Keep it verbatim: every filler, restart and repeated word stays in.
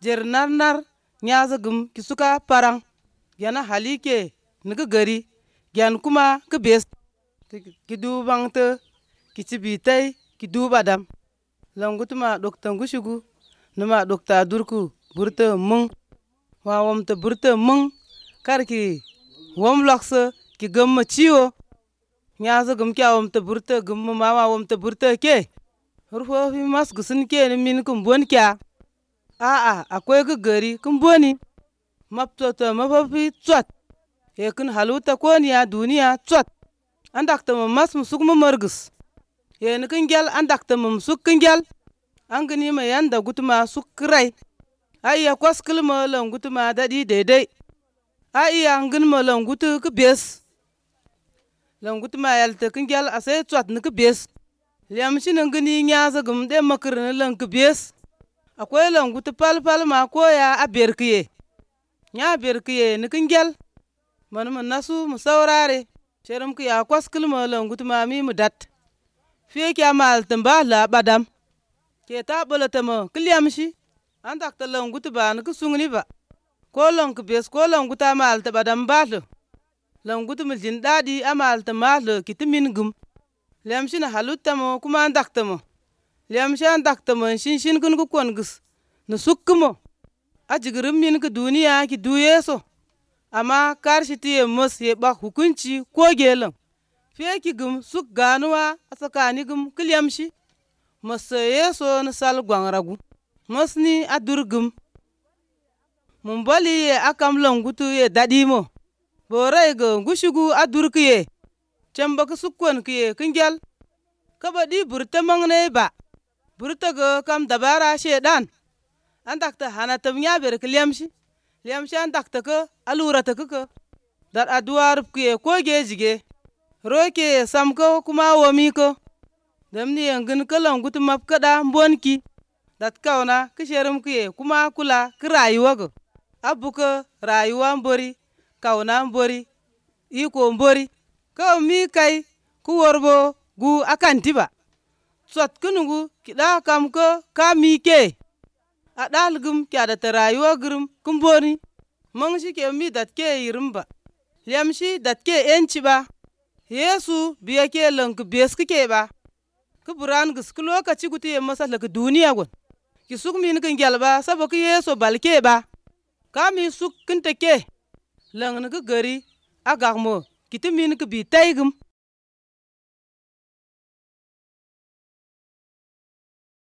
jer nar nar nyaza gum ki suka parang gena halike nigi gari gen kuma ki bes ki du bangte ki cibitai ki du badam langutuma dokta ngushugu numa dokta durku burte mung wa wamte burte mung karki wam lokse ki gamma ciwo nyaza gum kya wamte burte gum ma wa wamte burte ke rufo fi mas gusin ke ni min kum bon kya a a akwai ki gari kin boni maptoto mafafi tswat e kin haluta koniya duniya tswat an dakta mu mas musuk mu margus ye ni kin gel an dakta mu suk kin gel an gini ma yanda gutuma suk kirai a iya kwaskil ma lan gutuma dadi daidai a iya ngin ma lan gutu ki bes lan gutuma yalte kin gel a sai tswat ni ki bes liam shi ni gini nyaza gum de makir ni lan ki bes akwai lan gutu pal pal ma koya a berkiye nya berkiye ni kin gel man mu nasu mu saurare sherum ki ya kwaskil ma lan gutuma mi mu dat fiye kya mal tamba la badam ke ta bolata ma kilyam shi an dakta lan gutu ba ni ki sungni ba ko lan ki bes ko lan guta mal ta badam ba lan gutu mu jin dadi amal ta mal ki timin gum liam shi na halutta mo kuma an dakta mo liam shi an dakta mo shin shin kun ku kon gus ni sukku mo a jigirin min ki duniya ki du yeso amma karshi ti ye mos ye bak hukunci ko gelan fiye ki gum suk ganuwa a tsakani gum kilyam shi mos yeso ni sal gwangragu mos ni a durgum mun bali ye akam lan gutu ye dadi mo borai ga ngushugu a durki ye camba ki sukkon ki ye kingel kaba di burta mangne ba burta ga kam dabara shedan an dakta hana tam nya ber ki liamshi liamshi an dakta ka alura ta ka dar aduwar ki ye ko ge jige roke sam ko kuma womi ko damni yangin kalan gutu map kada mbonki dat kauna ki sherum ki ye kuma kula ki rayuwa go abuka rayuwa mbori kauna mbori iko mbori ka mi kai ku worbo gu akanti ba tsot kunugu kida kam ko ka mi ke a dalgum kya da ta rayuwa gurum kumboni mang shi ke mi dat ke yirim ba liam shi dat ke enci ba yesu biya ke lank bes ke ba ku buran gus ku lokaci guti ye masala ku duniya gon ki suk min kin gelba sabo ki yeso balke ba ka mi suk kin te ke lang ni ku gari agak mo kiti min ku bi taygum